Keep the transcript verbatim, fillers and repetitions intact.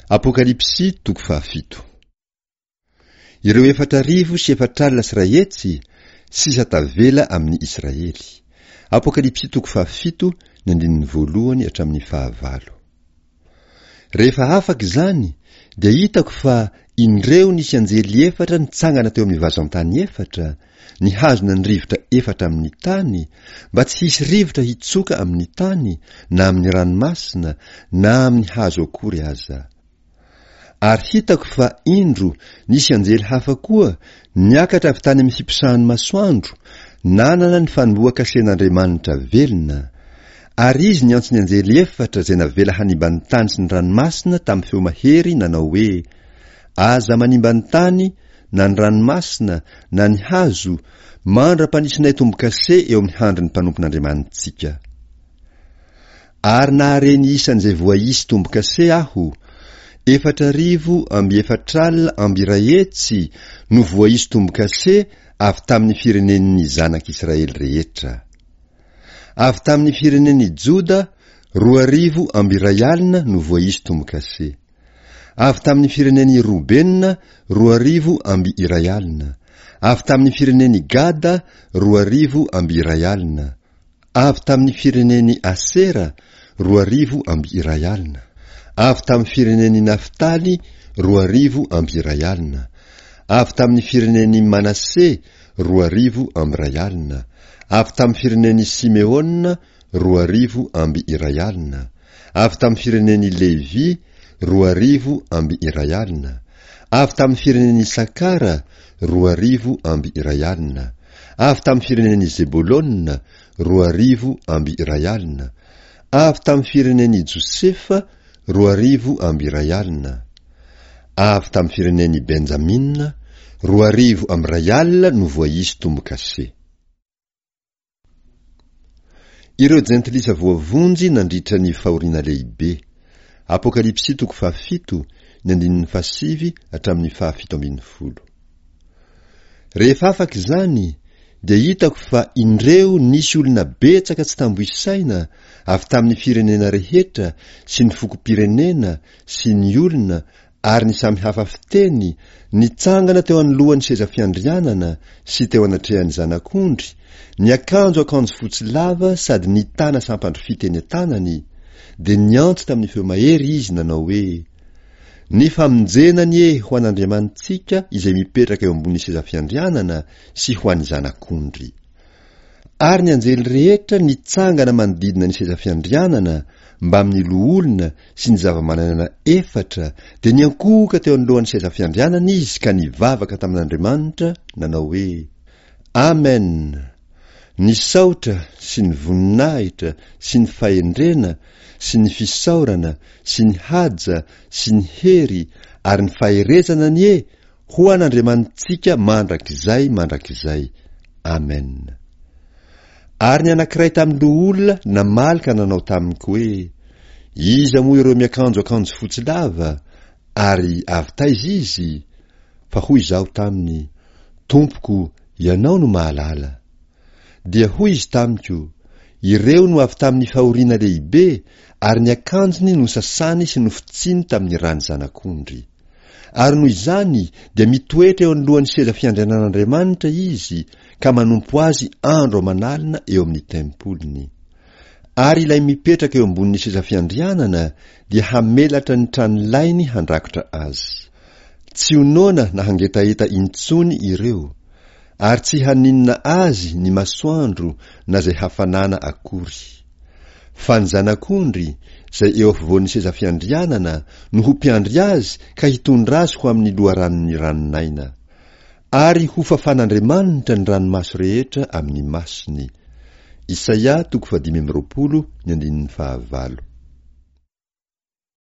Apokalypsy toko fahafito. Ireo efatra arivo sy efatra alina sy iray hetsy sisa tavela amin'ny Israely. Apokalypsy toko fahafito ny andininy voalohany hatramin'ny fahavalo. Rehefa afaka izany dia hitako fa indreo nisy anjely efatra nitsangana teo amin'ny vazantany efatra, nihazona ny rivotra efatra amin'ny tany, mba tsy hisy rivotra hitsoka amin'ny tany, na amin'ny ranomasina, na amin'ny hazo akory aza. Ary hitako fa indro nisy anjely hafa koa niakatra avy tany amin'ny fiposahan'ny masoandro, nanana ny fanombohan-kasen'Andriamanitra velona. Ary izy niantso ny anjely efatra izay navela hanimba ny tany sy ny ranomasina tamin'ny feo mahery nanao hoe, Aza manimba ny tany na ny ranomasina na ny hazo, mandra-panisinay tombo-kase eo amin'ny handrin'ny mpanompon'Andriamanitsika. Ary nahare ny isan'izay voaisy tombo-kase aho, efatra arivo amby efatra alina amby iray hetsy no voaisy tombo-kase avy tamin'ny firenen'ny zanak'Israely rehetra. Avy tamin'ny firenen'i Joda, roa arivo amby iray alina no voaisy tombo-kase. Avy tamin'ny firenen'i Robena, roa arivo amby iray alina. Avy tamin'ny firenen'i Gada, roa arivo amby iray alina. Avy tamin'ny firenen'i Asera, roa arivo amby iray alina. Avy tamin'ny firenen'i Naftaly, roa arivo amby iray alina. Avy tamin'ny firenen'i Manase, roa arivo amby iray alina. Avy tamin'ny firenen'i Simeona, roa arivo amby iray alina. Avy tamin'ny firenen'i Levy, roa arivo amby iray alina. Avy tamin'ny firenen'i Isakara, roa arivo amby iray alina. Avy tamin'ny firenen'i Zebolona, roa arivo amby iray alina. Avy tamin'ny firenen'i Josefa, roa arivo amby iray alina. Avy tamin'ny firenen'i Benjamina, roa arivo amby iray alina no voaisy tombo-kase. Ireo jentilisa voavonjy nandritra ny fahoriana lehibe. Apokalypsy toko fahafito, ny andininy fahasivy hatramin'ny fahafito ambin'ny folo. Rehefa afaka izany, dia hitako fa indreo nisy olona betsaka tsy tambo isaina avy tamin'ny firenena rehetra sy ny fokom-pirenena sy ny olona ary ny samy hafa fiteny, nitsangana teo anoloan'ny seza fiandrianana sy teo anatrehan'ny Zanak'ondry, niakanjo akanjo fotsy lava sady nitana sampandrofia teny an-tanany, dia niantso tamin'ny feo mahery izy nanao hoe, Ny famonjena anie ho an'Andriamanitsika izay mipetraka eo ambonin'ny seza fiandrianana sy ho an'ny Zanak'ondry. Ary ny anjely rehetra nitsangana manodidina ny seza fiandrianana mbamin'ny loholona sy ny zava-mananana efatra dia niankohoka teo anoloan'ny seza fiandrianana izy ka nivavaka tamin'Andriamanitra nanao hoe, Amen! Ny saotra sy ny voninahitra sy ny fahendrena sy ny fisaorana sy ny haja sy ny hery ary ny faherezana anie ho an'Andriamanitsika mandrakizay mandrakizay. Amen. Ary ny anankiray tamin'ny loholona namaly ka nanao tamiko hoe, Iza moa ireo miakanjo akanjo fotsy lava, ary avy taiza izy? Fa hoy izaho taminy, Tompoko, ianao no mahalala. Dia hoy izy tamiko, Ireo no avy tamin'ny fahoriana lehibe, ary ny akanjony nosasany sy nofotsiny tamin'ny ran'ny Zanak'ondry. Ary noho izany dia mitoetra eo anoloan'ny seza fiandrianan'Andriamanitra izy ka manompo azy andro aman'alina eo amin'ny tempoliny. Ary ilay mipetraka eo ambonin'ny seza fiandrianana dia hamelatra ny tranolainy handrakotra azy. Tsy ho noana na hangetaheta intsony ireo, ary tsy haninona azy ny masoandro na izay hafanana akory. Fa ny Zanak'ondry, izay eo afovoan'ny seza fiandrianana, no ho mpiandry azy ka hitondra azy ho amin'ny loharanon'ny ranon'aina. Ary hofafan'Andriamanitra ny ranomaso rehetra amin'ny masony. Isaia toko fahadimy amby roapolo ny andininy fahavalo.